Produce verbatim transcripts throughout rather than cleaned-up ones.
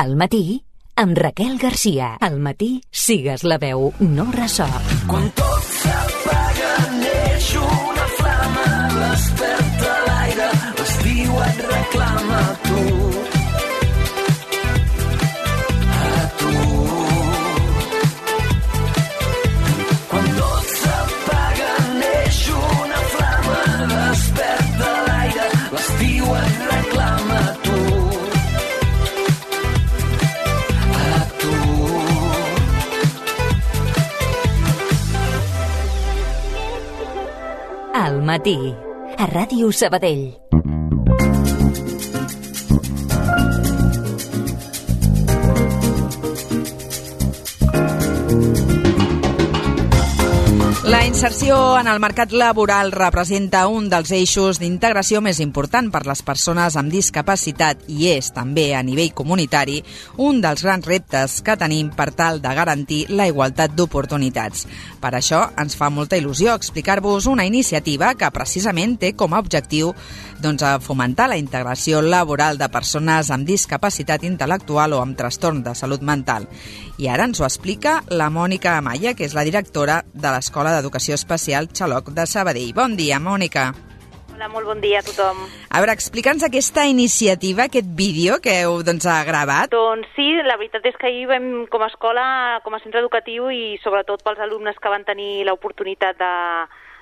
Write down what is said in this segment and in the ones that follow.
Al matí, amb Raquel Garcia. Al matí, sigues la veu, no ressò. Quan tot s'apaga, neix una flama, desperta l'aire, l'estiu et reclama a tu. A tu. Quan tot s'apaga, neix una flama, desperta l'aire, l'estiu et reclama a tu. Al matí, a Ràdio Sabadell. La inserció en el mercat laboral representa un dels eixos d'integració més important per les persones amb discapacitat i és també a nivell comunitari un dels grans reptes que tenim per tal de garantir la igualtat d'oportunitats. Per això ens fa molta il·lusió explicar-vos una iniciativa que precisament té com a objectiu doncs, a fomentar la integració laboral de persones amb discapacitat intel·lectual o amb trastorn de salut mental. I ara ens ho explica la Mònica Amaya, que és la directora de l'Escola d'Educació Especial Xaloc de Sabadell. Bon dia, Mònica. Hola, molt bon dia a tothom. A veure, explica'ns aquesta iniciativa, aquest vídeo que heu doncs, gravat. Doncs sí, la veritat és que ahir vam, com a escola, com a centre educatiu i sobretot pels alumnes que van tenir l'oportunitat de,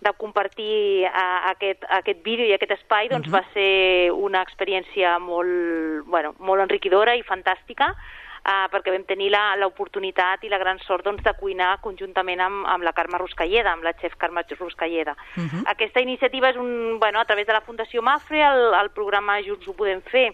de compartir uh, aquest, aquest vídeo i aquest espai, doncs uh-huh. va ser una experiència molt, bueno, molt enriquidora i fantàstica, Uh, perquè vam tenir l'oportunitat i la gran sort doncs, de cuinar conjuntament amb, amb la Carme Ruscalleda, amb la xef Carme Ruscalleda. Uh-huh. Aquesta iniciativa és un, bueno, a través de la Fundació Mafre, el, el programa Junts ho podem fer,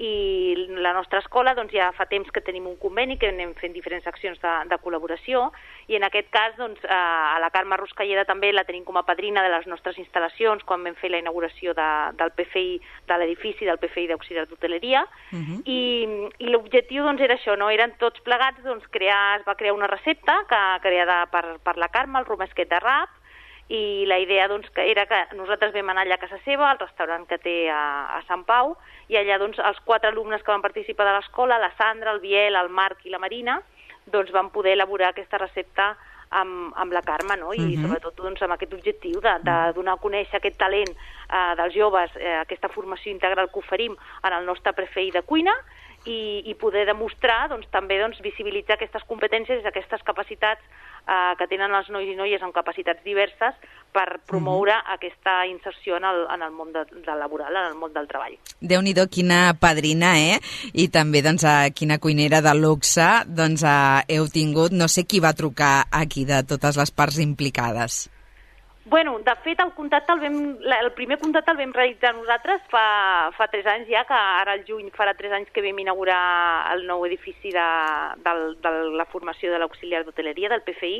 i la nostra escola doncs, ja fa temps que tenim un conveni, que anem fent diferents accions de, de col·laboració, i en aquest cas doncs, a la Carme Ruscalleda també la tenim com a padrina de les nostres instal·lacions quan vam fer la inauguració de, del P F I, de l'edifici del P F I d'Auxiliar d'Hoteleria, uh-huh. i, i l'objectiu doncs, era això, no? Eren tots plegats, doncs, crear, es va crear una recepta que, creada per, per la Carme, el romesquet de rap, i la idea doncs, que era que nosaltres vam anar allà a casa seva, al restaurant que té a, a Sant Pau, i allà doncs, els quatre alumnes que van participar de l'escola, la Sandra, el Biel, el Marc i la Marina, doncs van poder elaborar aquesta recepta amb, amb la Carme, no? I uh-huh. sobretot doncs, amb aquest objectiu de, de donar a conèixer aquest talent eh, dels joves, eh, aquesta formació integral que oferim en el nostre P F I de cuina, i, i poder demostrar, doncs, també doncs, visibilitzar aquestes competències i aquestes capacitats eh, que tenen els nois i noies amb capacitats diverses per promoure uh-huh. aquesta inserció en el, en el món de, de laboral, en el món del treball. Déu-n'hi-do, quina padrina, eh? I també, doncs, a quina cuinera de luxe, doncs, a, heu tingut, no sé qui va trucar aquí de totes les parts implicades. Bueno, de fet, el contacte el, vam, el primer contacte el vam realitzar nosaltres fa, fa tres anys ja, que ara al juny farà tres anys que vam inaugurar el nou edifici de, de, de la formació de l'auxiliar d'hoteleria, del P F I,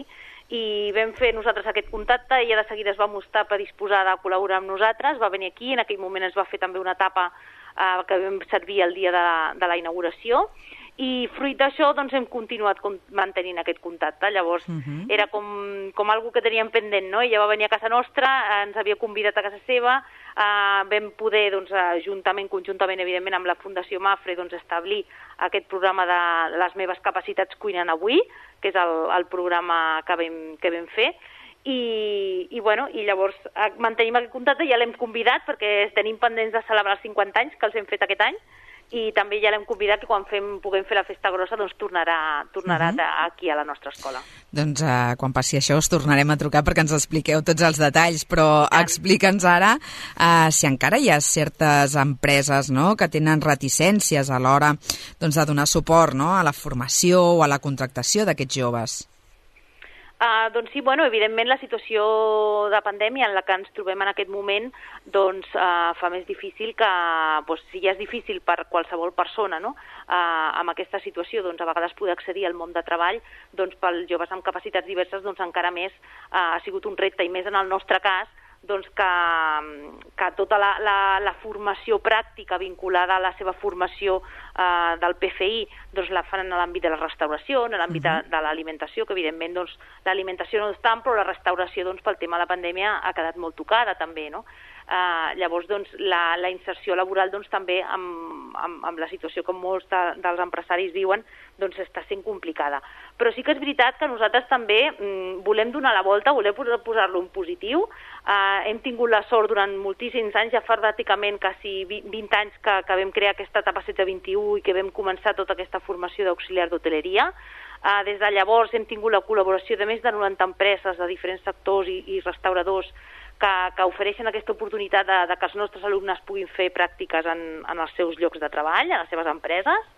i vam fer nosaltres aquest contacte, ella de seguida es va mostrar predisposada a col·laborar amb nosaltres, va venir aquí, en aquell moment es va fer també una etapa eh, que vam servir el dia de, de la inauguració, i fruit d'això doncs, hem continuat mantenint aquest contacte. Llavors uh-huh. era com, com algo que teníem pendent, no? Ella va venir a casa nostra, ens havia convidat a casa seva, eh, vam poder, doncs, juntament, conjuntament, evidentment, amb la Fundació Mafre, doncs, establir aquest programa de les meves capacitats cuinant avui, que és el, el programa que vam, que vam fer, i, i, bueno, i llavors mantenim aquest contacte, ja l'hem convidat perquè tenim pendents de celebrar els cinquanta anys que els hem fet aquest any, i també ja l'hem convidat que quan fem, puguem fer la festa grossa doncs tornarà, tornarà uh-huh. aquí a la nostra escola. Doncs uh, quan passi això us tornarem a trucar perquè ens expliqueu tots els detalls, però ja. Explica'ns ara uh, si encara hi ha certes empreses, no?, que tenen reticències a l'hora doncs, de donar suport, no?, a la formació o a la contractació d'aquests joves. Uh, doncs sí, bueno, evidentment la situació de pandèmia en la que ens trobem en aquest moment doncs, uh, fa més difícil que, doncs, si ja és difícil per qualsevol persona, no?, uh, amb aquesta situació, doncs a vegades poder accedir al món de treball, doncs pels joves amb capacitats diverses doncs encara més uh, ha sigut un repte, i més en el nostre cas, doncs que, que tota la, la, la formació pràctica vinculada a la seva formació eh, del P F I doncs la fan en l'àmbit de la restauració, en l'àmbit uh-huh. de, de l'alimentació, que evidentment doncs, l'alimentació no és tant, però la restauració doncs, pel tema de la pandèmia ha quedat molt tocada també, no? Uh, llavors, doncs, la, la inserció laboral doncs, també amb, amb, amb la situació que molts de, dels empresaris viuen doncs, està sent complicada. Però sí que és veritat que nosaltres també mm, volem donar la volta, volem posar-lo en positiu. Uh, hem tingut la sort durant moltíssims anys, ja fa pràcticament quasi vint anys que, que vam crear aquesta etapa setze vint i u i que vam començar tota aquesta formació d'auxiliar d'hoteleria. Uh, des de llavors hem tingut la col·laboració de més de noranta empreses de diferents sectors i, i restauradors que, que ofereixen aquesta oportunitat de, de que els nostres alumnes puguin fer pràctiques en, en els seus llocs de treball, a les seves empreses.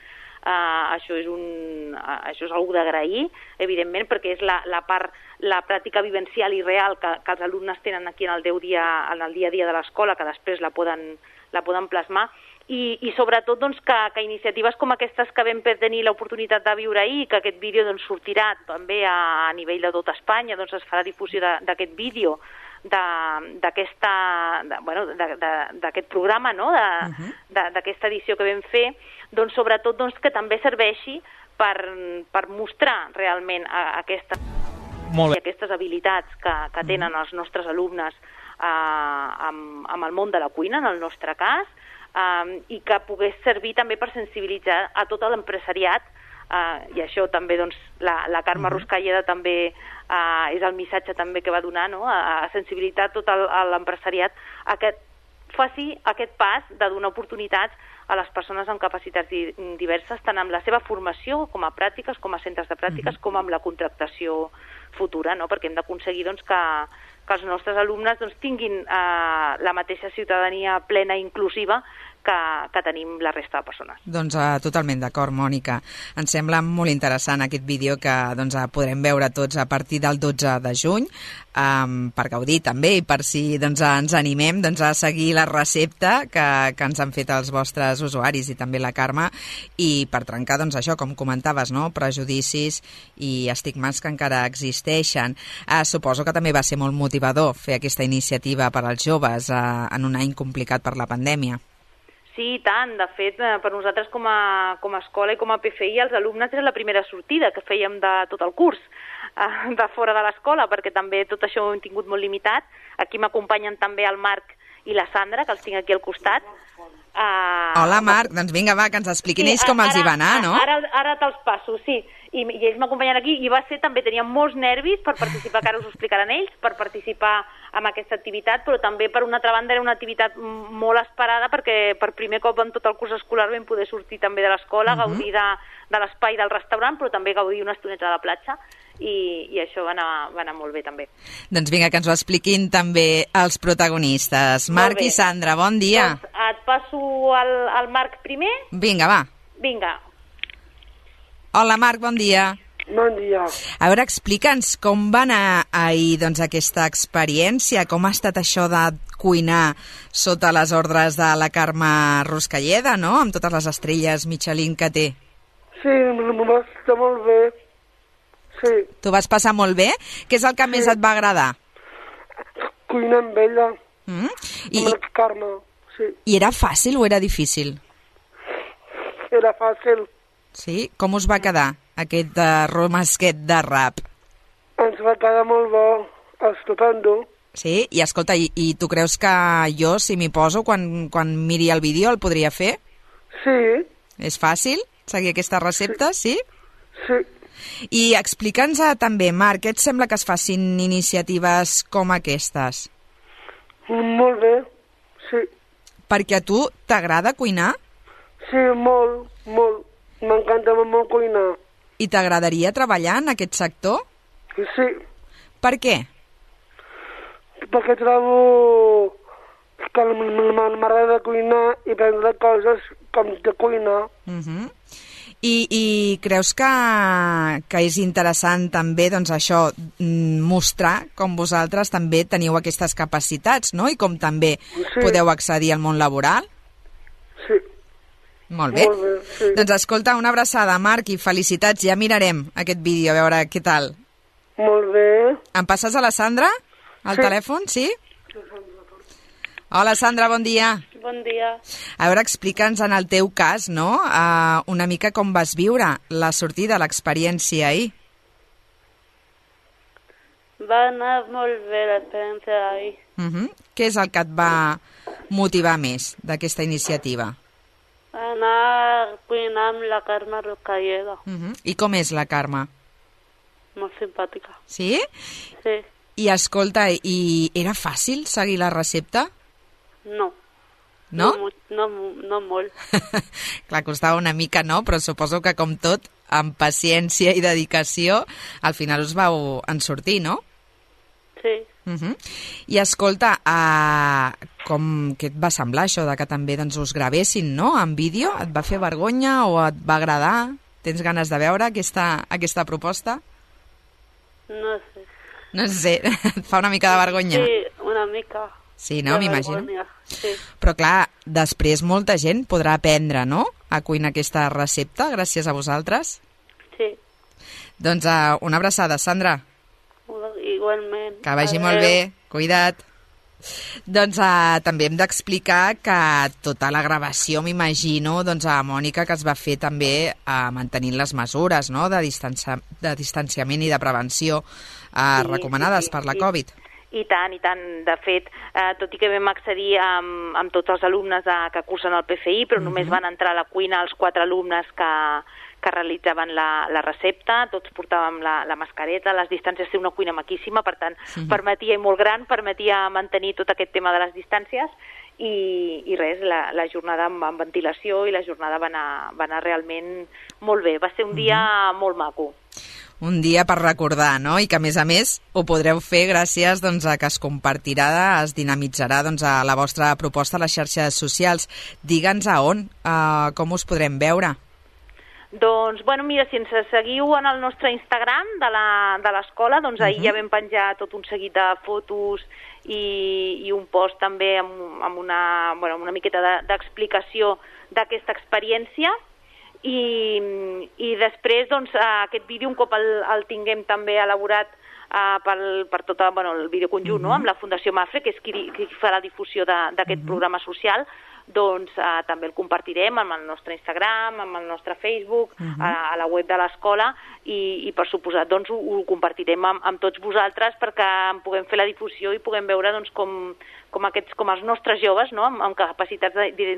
Uh, això és un, uh, això és una cosa d'agrair, evidentment, perquè és la, la part, la pràctica vivencial i real que, que els alumnes tenen aquí en el, deu dia, en el dia a dia de l'escola, que després la poden, la poden plasmar. I, i sobretot doncs, que, que iniciatives com aquestes que vam tenir l'oportunitat de viure ahir, que aquest vídeo doncs, sortirà també a, a nivell de tot Espanya, doncs es farà difusió d'aquest vídeo, d'aquesta, bueno, d'aquest programa, no? D'aquesta uh-huh. edició que vam fer, doncs sobretot doncs, que també serveixi per, per mostrar realment aquesta, aquestes habilitats que, que tenen els nostres alumnes eh, amb, amb el món de la cuina, en el nostre cas, eh, i que pogués servir també per sensibilitzar a tot l'empresariat. Uh, i això també doncs, la, la Carme uh-huh. Ruscalleda també uh, és el missatge també que va donar, no? a, a sensibilitzar tot l'empresariat a que faci aquest pas de donar oportunitats a les persones amb capacitats di diverses, tant amb la seva formació com a pràctiques, com a centres de pràctiques, uh-huh. com amb la contractació futura, no? Perquè hem d'aconseguir doncs, que, que els nostres alumnes doncs, tinguin uh, la mateixa ciutadania plena i inclusiva que, que tenim la resta de persones. Doncs uh, totalment d'acord, Mònica. Ens sembla molt interessant aquest vídeo que doncs, uh, podrem veure tots a partir del dotze de juny, um, per gaudir també i per si doncs, ens animem doncs, a seguir la recepta que, que ens han fet els vostres usuaris i també la Carme, i per trencar doncs, això, com comentaves, no? Prejudicis i estigmes que encara existeixen. Uh, suposo que també va ser molt motivador fer aquesta iniciativa per als joves uh, en un any complicat per la pandèmia. Sí, tant. De fet, per nosaltres com a, com a escola i com a P F I, els alumnes era la primera sortida que fèiem de tot el curs, de fora de l'escola, perquè també tot això ho hem tingut molt limitat. Aquí m'acompanyen també el Marc i la Sandra, que els tinc aquí al costat. Uh, Hola, Marc. Doncs vinga, va, que ens expliquin sí, ells com ara, els hi va anar, no? Ara, ara te'ls passo, sí. I, i ells m'acompanyen aquí i va ser també, tenien molts nervis per participar, que ara us ho explicaran ells, per participar en aquesta activitat, però també per una altra banda era una activitat molt esperada perquè per primer cop en tot el curs escolar vam poder sortir també de l'escola, uh-huh. gaudir de, de l'espai del restaurant, però també gaudir una estoneta a la platja i, i això va anar, va anar molt bé també. Doncs vinga, que ens ho expliquin també els protagonistes. Marc i Sandra, bon dia. Doncs et passo al, al Marc primer. Vinga, va. Vinga. Hola, Marc, bon dia. Bon dia. A veure, explica'ns com va anar ahir doncs, aquesta experiència, com ha estat això de cuinar sota les ordres de la Carme Ruscalleda, no?, amb totes les estrelles Michelin que té. Sí, m'ho va estar molt bé. Sí. T'ho vas passar molt bé? Què és el que sí. més et va agradar? Cuinar amb ella, mm? I, amb la Carme, sí. I era fàcil o era difícil? Era fàcil. Sí? Com us va quedar aquest uh, romesquet de rap? Ens va quedar molt bo, estupendo. Sí? I escolta, i, i tu creus que jo, si m'hi poso, quan, quan miri el vídeo, el podria fer? Sí. És fàcil seguir aquesta recepta, sí? Sí. I explica'ns també, Marc, què et sembla que es facin iniciatives com aquestes? Molt bé, sí. Perquè a tu t'agrada cuinar? Sí, molt, molt. M'encanta molt cuinar. I t'agradaria treballar en aquest sector? Sí. Per què? Perquè trobo que m'agrada cuinar i prendre coses com de cuinar. Uh-huh. I, I creus que, que és interessant també doncs, això, mostrar com vosaltres també teniu aquestes capacitats, no? I com també sí. podeu accedir al món laboral? Sí. Molt bé. Molt bé, sí. Doncs escolta, una abraçada, Marc, i felicitats. Ja mirarem aquest vídeo, a veure què tal. Molt bé. Em passes a la Sandra? Al sí. telèfon, sí? Hola, Sandra, bon dia. Bon dia. A veure, explica'ns en el teu cas, no?, uh, una mica com vas viure la sortida, l'experiència ahir. Va anar molt bé l'experiència d'ahir. Uh-huh. Què és el que et va motivar més d'aquesta iniciativa? Anar a cuinar amb la Carme Ruscalleda. Uh-huh. I com és la Carme? Molt simpàtica. Sí? Sí. I escolta, i era fàcil seguir la recepta? No. No? No, no, no molt. Clar, costava una mica, no? Però suposo que, com tot, amb paciència i dedicació, al final us vau en sortir, no? Sí. Uh-huh. I escolta, uh, com, què et va semblar això de que també doncs, us gravessin, no?, en vídeo? Et va fer vergonya o et va agradar? Tens ganes de veure aquesta, aquesta proposta? No sé. No sé, et fa una mica de vergonya? Sí, una mica. Sí, no? M'imagino. Sí. Però clar, després molta gent podrà aprendre, no?, a cuinar aquesta recepta gràcies a vosaltres. Sí. Doncs uh, una abraçada, Sandra. Igualment. Que vagi molt bé, cuida't. Doncs uh, també hem d'explicar que tota la gravació, m'imagino, doncs a Mònica, que es va fer també uh, mantenint les mesures, no?, de, distancia, de distanciament i de prevenció uh, sí, recomanades sí, per la sí. Covid. I tant, i tant. De fet, eh, tot i que vam accedir amb, amb tots els alumnes a, que cursen el P F I, però uh-huh. només van entrar a la cuina els quatre alumnes que, que realitzaven la, la recepta, tots portàvem la, la mascareta, les distàncies, té una cuina maquíssima, per tant, uh-huh. permetia, i molt gran, permetia mantenir tot aquest tema de les distàncies, i, i res, la, la jornada amb, amb ventilació i la jornada va anar, va anar realment molt bé. Va ser un dia uh-huh. molt maco. Un dia per recordar, no? I que, a més a més, ho podreu fer gràcies doncs, a que es compartirà, es dinamitzarà doncs, a la vostra proposta a les xarxes socials. Digue'ns a on, uh, com us podrem veure. Doncs, bueno, mira, si ens seguiu en el nostre Instagram de l'escola, doncs ahir uh-huh. ja vam penjar tot un seguit de fotos i, i un post també amb, amb, una, bueno, amb una miqueta d'explicació d'aquesta experiència. I, i després doncs, aquest vídeo, un cop el, el tinguem també elaborat uh, per, per tot bueno, el vídeo conjunt, uh-huh. no? amb la Fundació Mafre, que és qui, qui farà difusió d'aquest uh-huh. programa social, doncs uh, també el compartirem amb el nostre Instagram, amb el nostre Facebook, uh-huh. a, a la web de l'escola, i, i per suposat doncs, ho, ho compartirem amb, amb tots vosaltres perquè en puguem fer la difusió i puguem veure doncs, com, com, aquests, com els nostres joves, no? amb, amb capacitats de, de,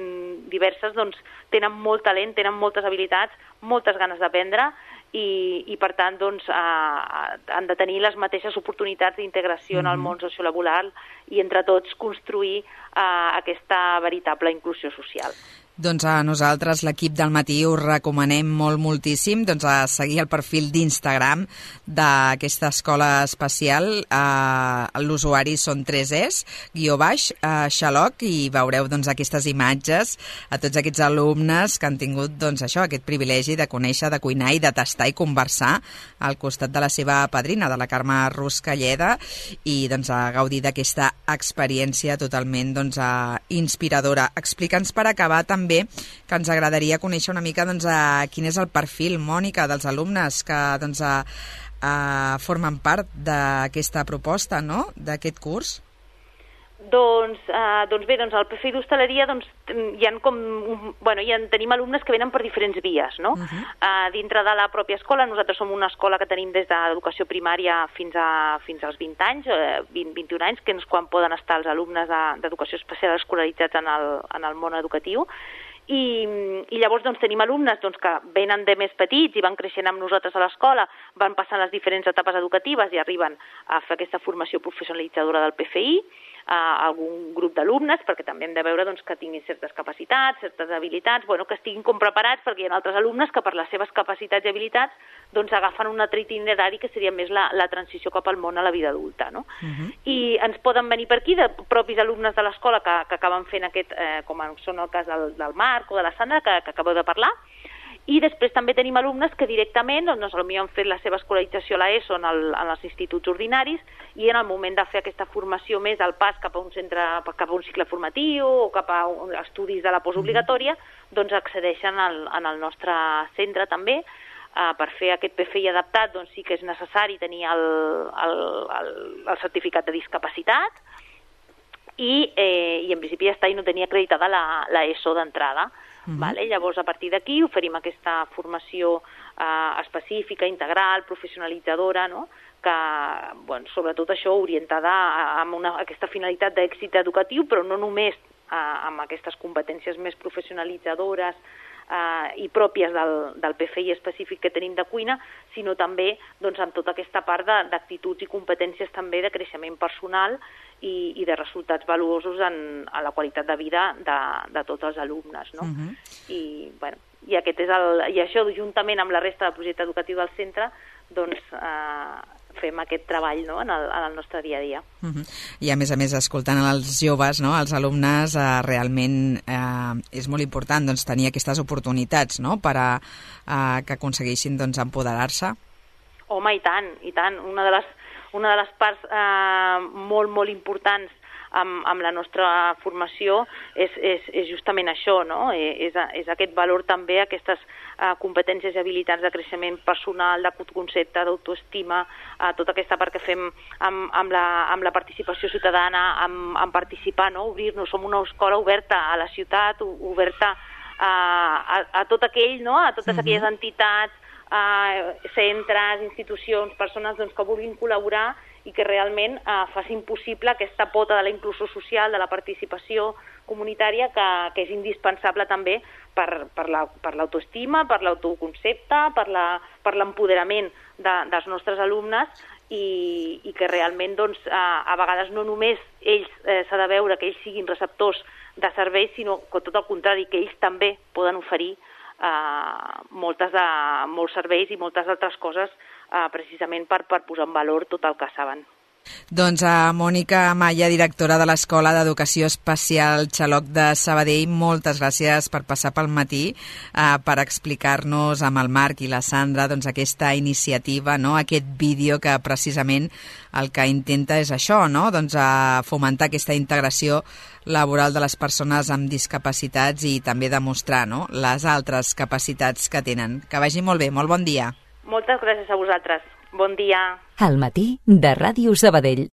diverses, doncs, tenen molt talent, tenen moltes habilitats, moltes ganes d'aprendre, i, i per tant doncs, eh, han de tenir les mateixes oportunitats d'integració mm-hmm. en el món sociolaboral i entre tots construir eh, aquesta veritable inclusió social. Doncs a nosaltres, l'equip del matí, us recomanem molt moltíssim doncs, a seguir el perfil d'Instagram d'aquesta escola especial. Eh, L'usuari són tres es, guió baix, eh, Xaloc, i veureu doncs, aquestes imatges a tots aquests alumnes que han tingut doncs, això, aquest privilegi de conèixer, de cuinar i de tastar i conversar al costat de la seva padrina, de la Carme Ruscalleda, i doncs, a gaudir d'aquesta experiència totalment doncs, a, inspiradora. Explica'ns per acabar també que ens agradaria conèixer una mica doncs, a quin és el perfil, Mònica, dels alumnes que doncs, a, a, formen part d'aquesta proposta, no?, d'aquest curs. Doncs, eh, doncs bé, doncs al P F I d'Hostaleria doncs, hi ha com, bueno, hi ha, tenim alumnes que venen per diferents vies, no? Uh-huh. eh, dintre de la pròpia escola, nosaltres som una escola que tenim des de l'educació primària fins, a, fins als vint anys, eh, vint, vint i un anys, que és quan poden estar els alumnes d'educació especial escolaritzats en el, en el món educatiu. I, i llavors doncs, tenim alumnes doncs, que venen de més petits i van creixent amb nosaltres a l'escola, van passant les diferents etapes educatives i arriben a fer aquesta formació professionalitzadora del P F I, a algun grup d'alumnes, perquè també hem de veure doncs, que tinguin certes capacitats, certes habilitats, bueno, que estiguin com preparats, perquè hi ha altres alumnes que per les seves capacitats i habilitats doncs, agafen un altre itinerari que seria més la, la transició cap al món a la vida adulta. No? Uh-huh. I ens poden venir per aquí de propis alumnes de l'escola que, que acaben fent aquest, eh, com són el cas del, del Marc o de la Sandra, que, que acabeu de parlar, i després també tenim alumnes que directament doncs, potser han fet la seva escolarització a l'ESO en, el, en els instituts ordinaris i en el moment de fer aquesta formació més al pas cap a un centre, cap a un cicle formatiu o cap a un, estudis de la postobligatòria, doncs accedeixen al, en el nostre centre també. Uh, per fer aquest P F I adaptat doncs sí que és necessari tenir el, el, el, el certificat de discapacitat i, eh, i en principi ja està i no tenia acreditada la, la ESO d'entrada. Uh-huh. Vale? Llavors, a partir d'aquí, oferim aquesta formació eh, específica, integral, professionalitzadora, no?, que, bueno, sobretot això, orientada a, a una, a aquesta finalitat d'èxit educatiu, però no només eh, amb aquestes competències més professionalitzadores eh, i pròpies del, del P F I específic que tenim de cuina, sinó també doncs, amb tota aquesta part d'actituds i competències també de creixement personal i, i de resultats valuosos en, en la qualitat de vida de, de tots els alumnes. No? Uh-huh. I, bueno, i, aquest és el, i això, juntament amb la resta del projecte educatiu del centre, doncs, eh, fem aquest treball, no?, en, el, en el nostre dia a dia. Uh-huh. I a més a més, escoltant els joves, no?, els alumnes, eh, realment eh, és molt important doncs, tenir aquestes oportunitats, no?, per a eh, que aconsegueixin doncs, empoderar-se. Home, i tant, i tant. Una de les, una de les parts eh, molt, molt importants amb, amb la nostra formació és, és, és justament això, no?, és, és aquest valor també, aquestes eh, competències i habilitats de creixement personal, d'autoconcepte, d'autoestima, eh, tota aquesta part que fem amb, amb, la, amb la participació ciutadana, amb, amb participar, no?, obrir-nos. Som una escola oberta a la ciutat, oberta a, a, a tot aquell, no?, a totes uh-huh. aquelles entitats, eh, centres, institucions, persones doncs, que vulguin col·laborar i que realment eh, facin possible aquesta pota de la inclusió social, de la participació comunitària, que, que és indispensable també per, per la, per l'autoestima, per l'autoconcepte, per la, per l'empoderament de, dels nostres alumnes i, i que realment doncs, eh, a vegades no només ells eh, s'ha de veure que ells siguin receptors de serveis, sinó que tot el contrari, que ells també poden oferir eh, moltes de, molts serveis i moltes altres coses Uh, precisament per, per posar en valor tot el que saben. Doncs a Mònica Maya, directora de l'Escola d'Educació Especial Xaloc de Sabadell, moltes gràcies per passar pel matí, uh, per explicar-nos amb el Marc i la Sandra doncs, aquesta iniciativa, no? Aquest vídeo que precisament el que intenta és això, no? Doncs, uh, fomentar aquesta integració laboral de les persones amb discapacitats i també demostrar, no?, les altres capacitats que tenen. Que vagi molt bé, molt bon dia. Moltes gràcies a vosaltres. Bon dia. Al matí de Ràdio Sabadell.